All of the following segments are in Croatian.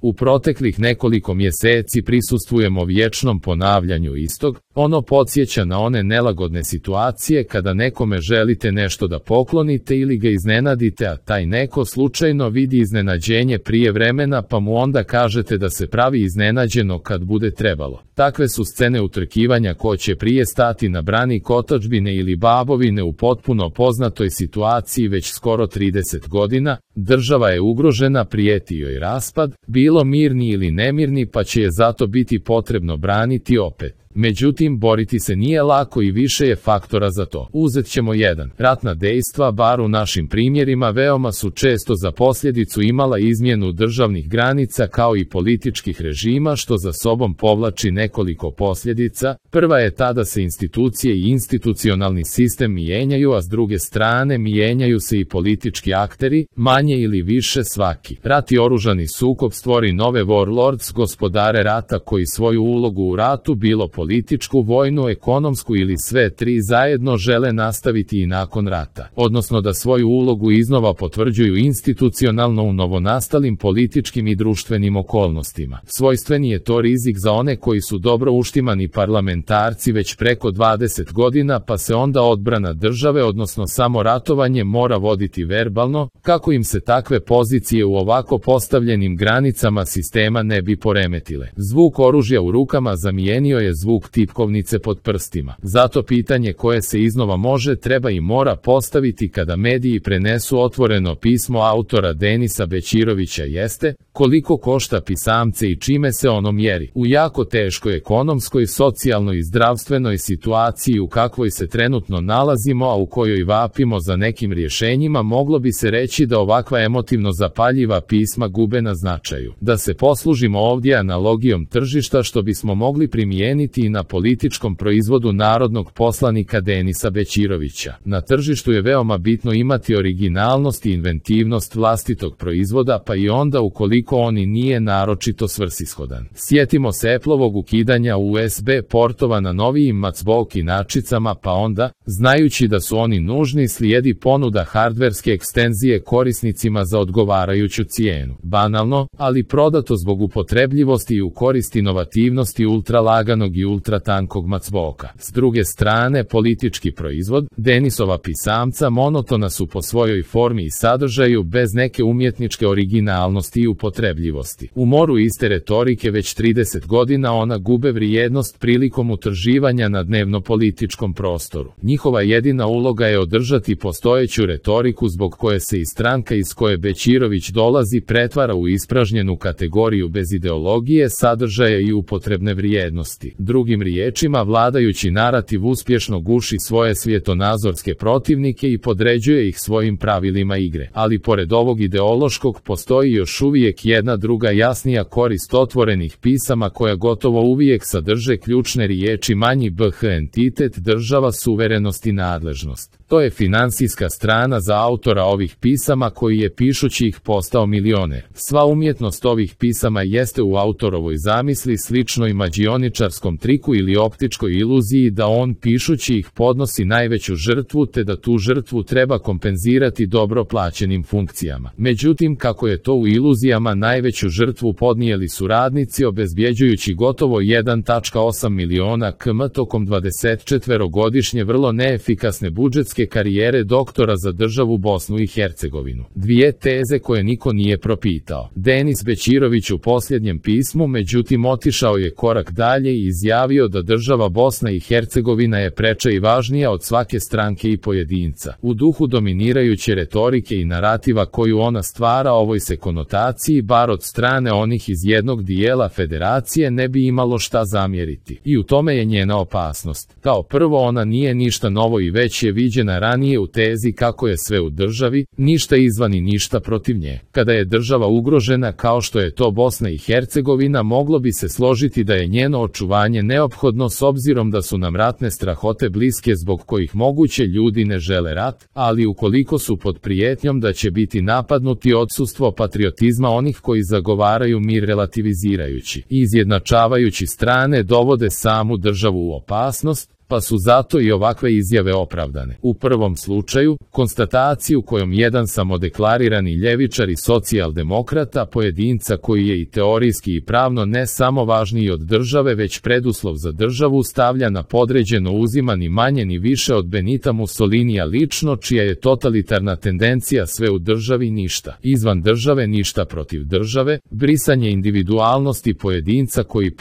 U proteklih nekoliko mjeseci prisustvujemo vječnom ponavljanju istog, ono podsjeća na one nelagodne situacije kada nekome želite nešto da poklonite ili ga iznenadite, a taj neko slučajno vidi iznenađenje prije vremena pa mu onda kažete da se pravi iznenađeno kad bude trebalo. Takve su scene utrkivanja ko će prije stati na branik otadžbine ili babovine u potpuno poznatoj situaciji već skoro 30 godina, država je ugrožena, prijeti joj raspad, bilo mirni ili nemirni pa će je zato biti potrebno braniti opet. Međutim, boriti se nije lako i više je faktora za to. Uzet ćemo jedan. Ratna dejstva, bar u našim primjerima, veoma su često za posljedicu imala izmjenu državnih granica kao i političkih režima, što za sobom povlači nekoliko posljedica. Prva je ta da se institucije i institucionalni sistem mijenjaju, a s druge strane mijenjaju se i politički akteri, manje ili više svaki. Rat i oružani sukob stvori nove warlords, gospodare rata koji svoju ulogu u ratu, bilo političku, vojnu, ekonomsku ili sve tri zajedno, žele nastaviti i nakon rata, odnosno da svoju ulogu iznova potvrđuju institucionalno u novonastalim političkim i društvenim okolnostima. Svojstveni je to rizik za one koji su dobro uštimani parlamentarci već preko 20 godina, pa se onda odbrana države, odnosno samo ratovanje, mora voditi verbalno, kako im se takve pozicije u ovako postavljenim granicama sistema ne bi poremetile. Zvuk oružja u rukama zamijenio je zvuk tipkovnice pod prstima. Zato pitanje koje se iznova može, treba i mora postaviti kada mediji prenesu otvoreno pismo autora Denisa Bećirovića jeste: koliko košta pisamce i čime se ono mjeri? U jako teškoj ekonomskoj, socijalnoj i zdravstvenoj situaciji u kakvoj se trenutno nalazimo, a u kojoj vapimo za nekim rješenjima, moglo bi se reći da ovakva emotivno zapaljiva pisma gube na značaju. Da se poslužimo ovdje analogijom tržišta, što bismo mogli primijeniti i na političkom proizvodu narodnog poslanika Denisa Bećirovića. Na tržištu je veoma bitno imati originalnost i inventivnost vlastitog proizvoda, pa i onda ukoliko on i nije naročito svrsishodan. Sjetimo se Appleovog ukidanja USB portova na novijim MacBook inačicama, pa onda, znajući da su oni nužni, slijedi ponuda hardverske ekstenzije korisnicima za odgovarajuću cijenu. Banalno, ali prodato zbog upotrebljivosti i u korist inovativnosti ultralaganog i ultratankog MacBooka. S druge strane, politički proizvod, Denisova pisamca, monotona su po svojoj formi i sadržaju, bez neke umjetničke originalnosti i upotrebljivosti. U moru iste retorike već 30 godina ona gube vrijednost prilikom utrživanja na dnevno-političkom prostoru. Njihova jedina uloga je održati postojeću retoriku zbog koje se i stranka iz koje Bećirović dolazi pretvara u ispražnjenu kategoriju bez ideologije, sadržaja i upotrebne vrijednosti. Drugim riječima, vladajući narativ uspješno guši svoje svjetonazorske protivnike i podređuje ih svojim pravilima igre. Ali pored ovog ideološkog postoji još uvijek jedna druga jasnija korist otvorenih pisama koja gotovo uvijek sadrže ključne riječi manji bh entitet, država, suverenost i nadležnost. To je financijska strana za autora ovih pisama koji je pišući ih postao milioner. Sva umjetnost ovih pisama jeste u autorovoj zamisli, sličnoj mađioničarskom triku ili optičkoj iluziji da on pišući ih podnosi najveću žrtvu, te da tu žrtvu treba kompenzirati dobro plaćenim funkcijama. Međutim, kako je to u iluzijama, najveću žrtvu podnijeli su radnici, obezbjeđujući gotovo 1,8 miliona km tokom 24-godišnje vrlo neefikasne budžetske karijere doktora za državu Bosnu i Hercegovinu. Dvije teze koje niko nije propitao. Denis Bećirović u posljednjem pismu međutim otišao je korak dalje i izjavio da država Bosna i Hercegovina je preča i važnija od svake stranke i pojedinca. U duhu dominirajuće retorike i narativa koju ona stvara, ovoj se konotaciji, bar od strane onih iz jednog dijela federacije, ne bi imalo šta zamjeriti. I u tome je njena opasnost. Kao prvo, ona nije ništa novo i već je viđena ranije u tezi kako je sve u državi, ništa izvan i ništa protiv nje. Kada je država ugrožena kao što je to Bosna i Hercegovina, moglo bi se složiti da je njeno očuvanje neophodno s obzirom da su nam ratne strahote bliske zbog kojih moguće ljudi ne žele rat, ali ukoliko su pod prijetnjom da će biti napadnuti, odsustvo patriotizma onih koji zagovaraju mir relativizirajući i izjednačavajući strane dovode samu državu u opasnost, pa su zato i ovakve izjave opravdane. U prvom slučaju, konstataciju kojom jedan samodeklarirani ljevičar i socijaldemokrata, pojedinca koji je i teorijski i pravno ne samo važniji od države već preduslov za državu, stavlja na podređeno uzima ni manje ni više od Benita Mussolinija lično, čija je totalitarna tendencija sve u državi ništa, izvan države ništa protiv države, brisanje individualnosti pojedinca koji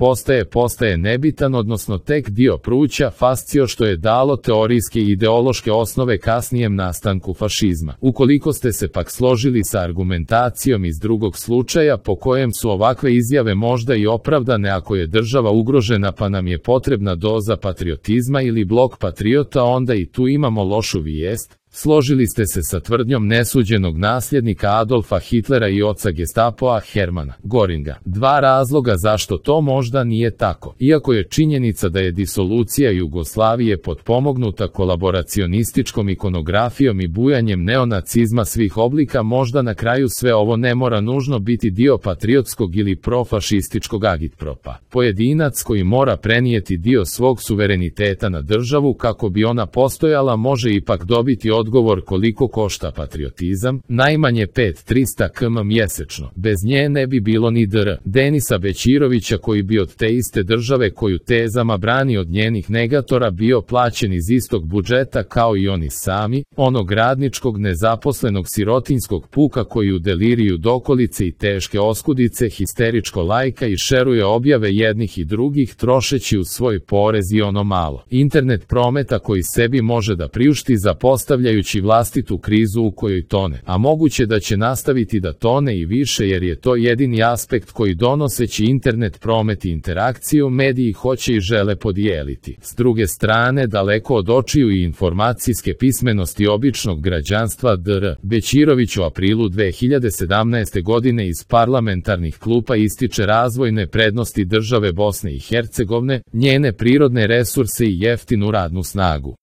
postaje nebitan, odnosno tek dio pruća fascio što je dalo teorijske i ideološke osnove kasnijem nastanku fašizma. Ukoliko ste se pak složili sa argumentacijom iz drugog slučaja po kojem su ovakve izjave možda i opravdane ako je država ugrožena pa nam je potrebna doza patriotizma ili blok patriota, onda i tu imamo lošu vijest. Složili ste se sa tvrdnjom nesuđenog nasljednika Adolfa Hitlera i oca Gestapoa Hermana Göringa. Dva razloga zašto to možda nije tako. Iako je činjenica da je disolucija Jugoslavije potpomognuta kolaboracionističkom ikonografijom i bujanjem neonacizma svih oblika, možda na kraju sve ovo ne mora nužno biti dio patriotskog ili profašističkog agitpropa. Pojedinac koji mora prenijeti dio svog suvereniteta na državu kako bi ona postojala može ipak dobiti odgovor koliko košta patriotizam, najmanje 5.300 km mjesečno. Bez nje ne bi bilo ni dr. Denisa Bećirovića koji bi od te iste države koju tezama brani od njenih negatora bio plaćen iz istog budžeta kao i oni sami, onog radničkog nezaposlenog sirotinskog puka koji u deliriju dokolice i teške oskudice histeričko lajka i šeruje objave jednih i drugih trošeći u svoj porez i ono malo internet prometa koji sebi može da priušti zapostavljajući vlastitu krizu u kojoj tone, a moguće da će nastaviti da tone i više jer je to jedini aspekt koji donoseći internet promet i interakciju mediji hoće i žele podijeliti. S druge strane, daleko od očiju i informacijske pismenosti običnog građanstva, dr. Bećirović u aprilu 2017. godine iz parlamentarnih klupa ističe razvojne prednosti države Bosne i Hercegovine, njene prirodne resurse i jeftinu radnu snagu.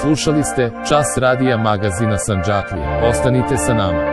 Slušali ste Čas radija magazina Sandžaklija. Ostanite sa nama.